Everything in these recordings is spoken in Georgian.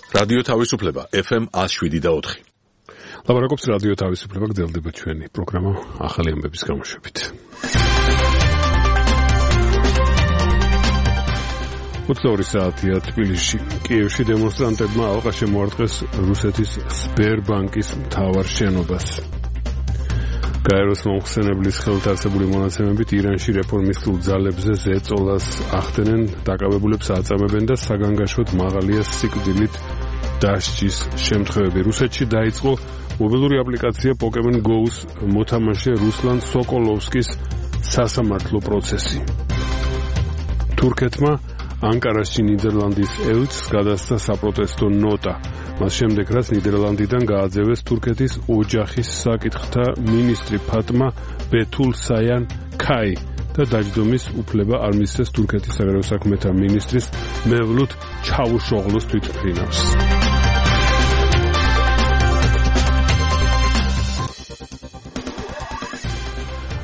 რადიო თავისუფლება FM 107.4. ლაპარაკობს რადიო თავისუფლება, გრძელდება ჩვენი პროგრამა ახალი ამბების გამოშვებით. უცნაური საათია თბილისში. კიევში დემონსტრანტებმა ალყა შემოარტყეს რუსეთის სბერბანკის მთავარ შენობას. გაეროს მომხსენებლის ხელთარსებული მონაცემებით ირანში რეფორმისტულ ძალებზე ზეწოლას ახდენენ, დაკავებულებს აწამებენ და საგანგაშოდ მაღალია სიკვდილით დასჯის შემთხვევები. რუსეთში დაიწყო მობილური აპლიკაცია Pokemon Go-ს მოთამაშე რუსლან სოკოლოვსკის სასამართლო პროცესი. თურქეთმა ანკარაში ნიდერლანდის ელჩს გადასცა საპროტესტო ნოტა. მას შემდეგ, რაც ნიდერლანდიდან გააძევეს თურქეთის ოჯახის საკითხთა მინისტრი ფატმა ბეთულსაიან ქაი და დაჯდომის უფლება არ მისცეს თურქეთის საგარეო საქმეთა მინისტრის მევლութ ჩავუშოღლუს თვითმფრინავს.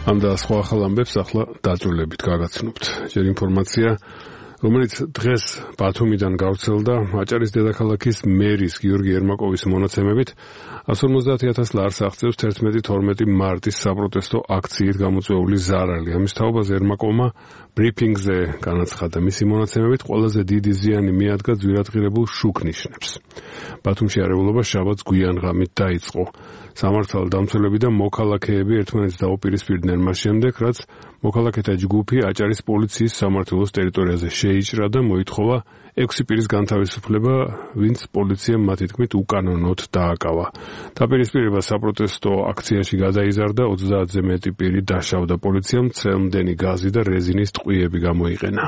ამ და სხვა ახალ ამბებს ახლა დაწვრილებით გაგაცნობთ. ჯერ ინფორმაცია, რომელიც დღეს ბათუმიდან გავრცელდა აჭარის დედაქალაქის მერის გიორგი ერმაკოვის მონაცემებით 150,000 ლარს აღწევს 11-12 მარტის საპროტესტო აქციით გამოწვეული ზარალი. ამის თაობაზე ერმაკოვმა ბრიფინგზე განაცხადა, მისი მონაცემებით ყველაზე დიდი ზიანი მიადგა ძვირადღირებულ შუქნიშნებს. ბათუმში არეულობა შაბათს გვიან ღამით დაიწყო. სამართალდამცველები და მოქალაქეები ერთმანეთს დაუპირისპირდნენ მას შემდეგ, რაც მოქალაქეთა ჯგუფი აჭარის პოლიციის სამმართველოს ტერიტორიაზე შეიჭრა და მოითხოვა 6 პირის განთავისუფლება, ვინც პოლიციამ მათი თქმით უკანონოდ დააკავა. დაპირისპირება საპროტესტო აქციაში გადაიზარდა, 30-ზე მეტი პირი დაშავდა. პოლიციამ წელმდენი გაზი და რეზინის ტყვიები გამოიყენა.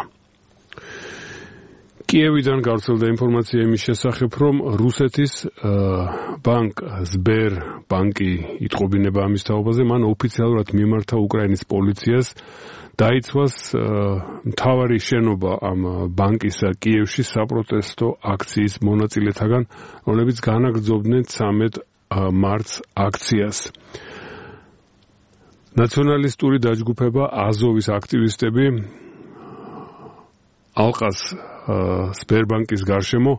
კიევიდან გავრცელდა ინფორმაცია იმის შესახებ, რომ რუსეთის ბანკ სბერბანკი იტყობინება ამის თაობაზე, მან ოფიციალურად მიმართა უკრაინის პოლიციას დაიცვას მთავარი შენობა ამ ბანკისა კიევში საპროტესტო აქციის მონაწილეთაგან, რომლებიც განაგრძობდნენ 13 მარტს აქციას. ნაციონალისტური დაჯგუფება აზოვის აქტივისტები ალყას სბერბანკის გარშემო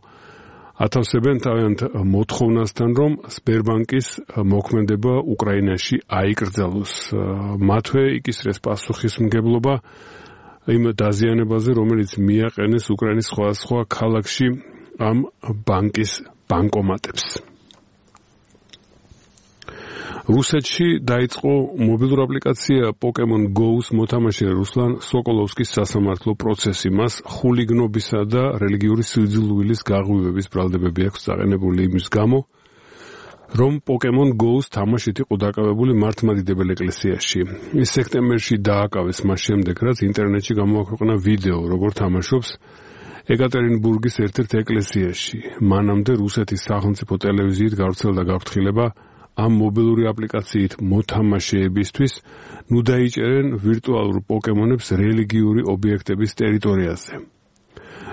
ათავსებენ თავიანთ მოთხოვნასთან, რომ სბერბანკის მოქმედება უკრაინაში აიკრძალოს. მათვე იკისრეს პასუხისმგებლობა იმ დაზიანებაზე, რომელიც მიაყენეს უკრაინის სხვადასხვა ქალაქში ამ ბანკის ბანკომატებს. რუსეთში დაიწყო მობილური აპლიკაცია Pokemon Go-ს მოთამაშე რუსლან სოკოლოვსკის სასამართლო პროცესი. მას ხულიგნობისა და რელიგიური სიძულვილის გაღვივების ბრალდებები აქვს წაყენებული იმის გამო, რომ Pokemon Go-ს თამაშით იყო დაკავებული მართლმადიდებელ ეკლესიაში. ის სექტემბერში დააკავეს მას შემდეგ, რაც ინტერნეტში გამოაქვეყნა ვიდეო, როგორ თამაშობს ეკატერინბურგის ერთ-ერთ ეკლესიაში. მანამდე რუსეთის სახელმწიფო ტელევიზიით გავრცელდა გაფრთხილება ამ მობილური აპლიკაციით მოთამაშეებისთვის ნუ დაიჭერენ ვირტუალურ პოკემონებს რელიგიური ობიექტების ტერიტორიაზე.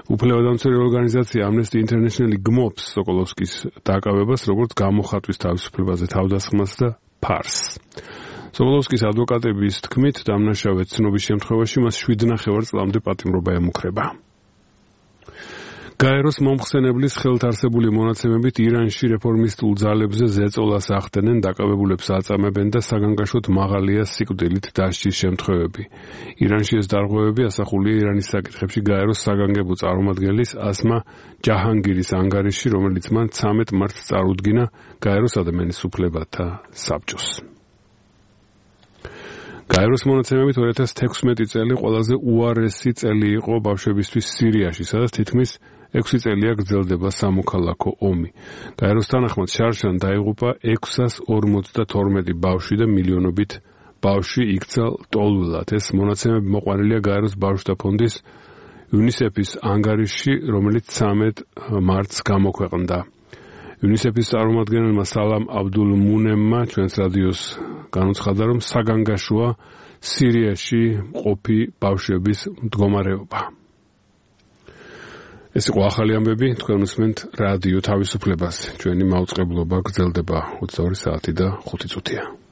უფლებადამცველი ორგანიზაცია Amnesty International გმობს სოკოლოვსკის დაკავებას, როგორც გამოხატვის თავისუფლებაზე თავდასხმას და ფარსს. სოკოლოვსკის ადვოკატების თქმით, დამნაშავე ცნობის შემთხვევაში მას 7,5 წლამდე პატიმრობა ემუქრება. გაეროს მომხსენებლის ხელთარსებული მონაცემებით ირანში რეფორმისტულ ძალებზე ზეწოლას ახდენენ, დაკავებულებს აწამებენ და საგანგაშოდ მაღალია სიკვდილით დასჯის შემთხვევები. ირანში ეს დარღვევები ასახულია ირანის საკითხებში გაეროს საგანგებო წარმომადგენლის ასმა ჯაჰანგირის ანგარიში, რომელიც მან 13 მარტს წარუდგინა გაეროს ადამიანის უფლებათა საბჭოს. გაეროს მონაცემებით 2016 წელი ყველაზე უარესი წელი იყო ბავშვებისთვის სირიაში, სადაც თითქმის 6 წელია გრძელდება სამოქალაქო ომი. გაეროს თანახმად შარშან დაიღუპა 652 ბავშვი და მილიონობით ბავშვი იქცა ლტოლვილად. ეს მონაცემები მოყვანილია გაეროს ბავშვთა ფონდის UNICEF-ის ანგარიში, რომელიც 13 მარტს გამოქვეყნდა. UNICEF-ის წარმომადგენელმა სალამ აბდულმუნემმა ჩვენს რადიოს განუცხადა, რომ საგანგაშოა სირიაში მყოფი ბავშვების მდგომარეობა. ეს იყო ახალი ამბები, თქვენ უსმენთ რადიო თავისუფლებას. ჩვენი მაუწყებლობა გრძელდება 22 საათი და 5 წუთია.